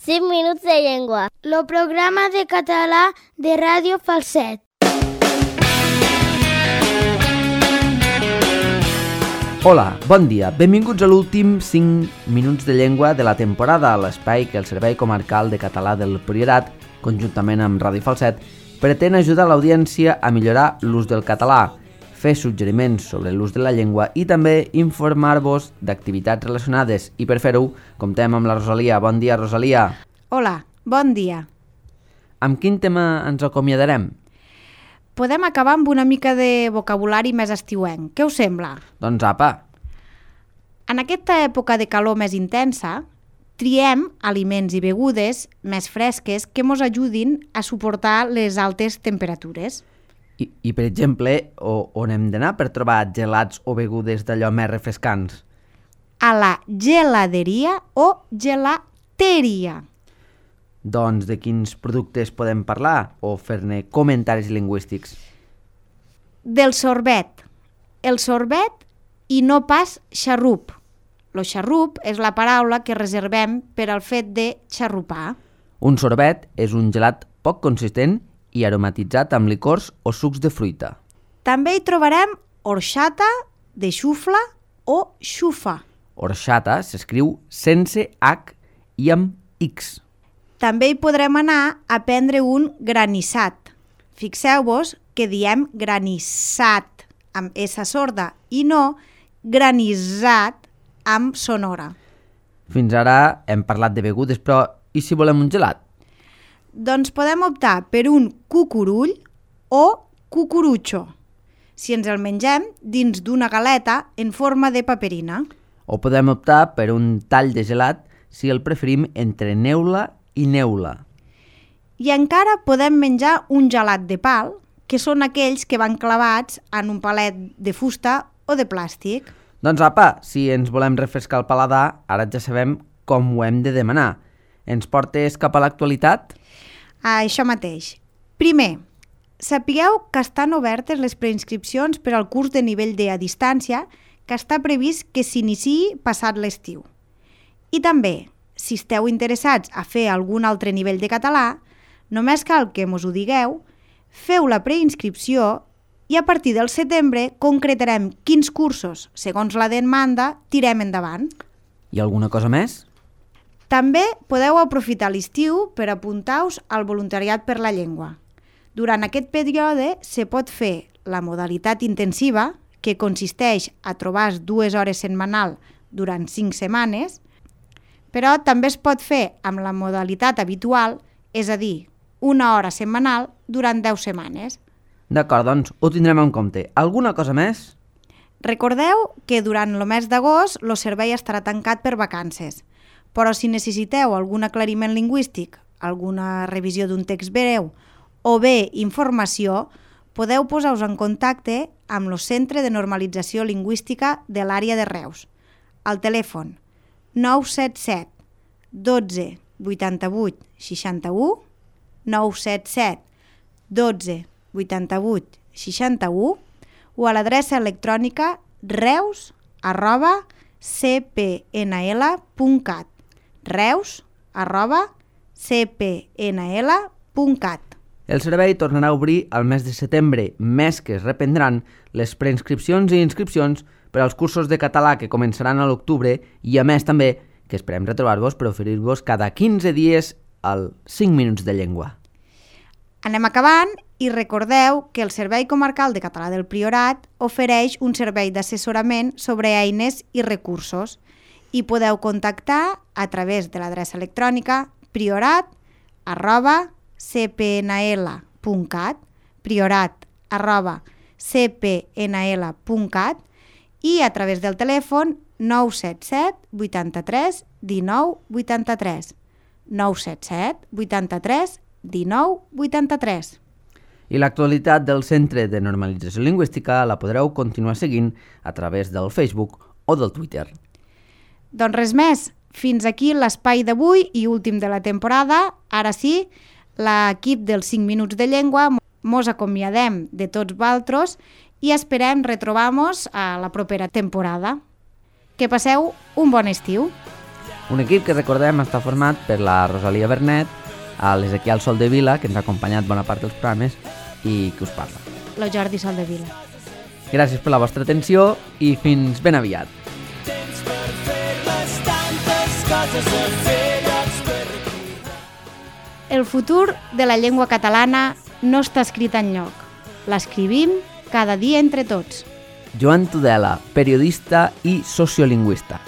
5 minuts de llengua. El programa de català de Ràdio Falset. Hola, bon dia. Benvinguts a l'últim 5 minuts de llengua de la temporada, a l'espai que el Servei Comarcal de Català del Priorat, conjuntament amb Ràdio Falset, pretén ajudar l'audiència a millorar l'ús del català, fer suggeriments sobre l'ús de la llengua i també informar-vos d'activitats relacionades. I per fer-ho, comptem amb la Rosalia. Bon dia, Rosalia. Hola, bon dia. Amb quin tema ens acomiadarem? Podem acabar amb una mica de vocabulari més estiuenc. Què us sembla? Doncs apa. En aquesta època de calor més intensa, triem aliments i begudes més fresques que ens ajudin a suportar les altes temperatures. I per exemple, on hem d'anar per trobar gelats o begudes d'allò més refrescants? A la geladeria o gelateria. Doncs de quins productes podem parlar o fer-ne comentaris lingüístics? Del sorbet. El sorbet i no pas xarrup. Lo xarrup és la paraula que reservem per al fet de xarrupar. Un sorbet és un gelat poc consistent i aromatitzat amb licors o sucs de fruita. També hi trobarem orxata, de xufla o xufa. Orxata s'escriu sense H i amb X. També hi podrem anar a prendre un granissat. Fixeu-vos que diem granissat amb S sorda i no granissat amb sonora. Fins ara hem parlat de begudes, però i si volem un gelat? Doncs podem optar per un cucurull o cucurutxo, si ens el mengem dins d'una galeta en forma de paperina. O podem optar per un tall de gelat si el preferim entre neula i neula. I encara podem menjar un gelat de pal, que són aquells que van clavats en un palet de fusta o de plàstic. Doncs apa, si ens volem refrescar el paladar, ara ja sabem com ho hem de demanar. Ens portes cap a l'actualitat? Això mateix. Primer, sapigueu que estan obertes les preinscripcions per al curs de nivell D a distància que està previst que s'iniciï passat l'estiu. I també, si esteu interessats a fer algun altre nivell de català, només cal que mos ho digueu, feu la preinscripció i a partir del setembre concretarem quins cursos, segons la demanda, tirem endavant. I alguna cosa més? També podeu aprofitar l'estiu per apuntar-vos al voluntariat per la llengua. Durant aquest període se pot fer la modalitat intensiva, que consisteix a trobar 2 hores setmanal durant 5 setmanes, però també es pot fer amb la modalitat habitual, és a dir, 1 hora setmanal durant 10 setmanes. D'acord, doncs ho tindrem en compte. Alguna cosa més? Recordeu que durant el mes d'agost el servei estarà tancat per vacances, però si necessiteu algun aclariment lingüístic, alguna revisió d'un text breu o bé informació, podeu posar-vos en contacte amb el Centre de Normalització Lingüística de l'àrea de Reus. Al telèfon 977 12 88 61, 977 12 88 61 o a l'adreça electrònica reus@cpnl.cat, reus@cpnl.cat. El servei tornarà a obrir al mes de setembre, mes que es reprendran les preinscripcions i inscripcions per als cursos de català que començaran a l'octubre i a més també que esperem retrobar-vos per oferir-vos cada 15 dies el 5 minuts de llengua. Anem acabant i recordeu que el Servei Comarcal de Català del Priorat ofereix un servei d'assessorament sobre eines i recursos i podeu contactar a través de l'adreça electrònica priorat@cpnl.cat, priorat@cpnl.cat i a través del telèfon 977 83 19 83, 977 83 19 83. I l'actualitat del Centre de Normalització Lingüística la podreu continuar seguint a través del Facebook o del Twitter. Doncs res més, fins aquí l'espai d'avui i últim de la temporada. Ara sí, l'equip dels 5 minuts de llengua mos acomiadem de tots vosaltres i esperem retrobar-nos a la propera temporada. Que passeu un bon estiu. Un equip que recordem està format per la Rosalia Bernet, l'Ezequiel Soldevila, que ens ha acompanyat bona part dels programes, i que us parla. La Jordi Soldevila. Gràcies per la vostra atenció i fins ben aviat. El futur de la llengua catalana no està escrit enlloc. L'escrivim cada dia entre tots. Joan Tudela, periodista i sociolingüista.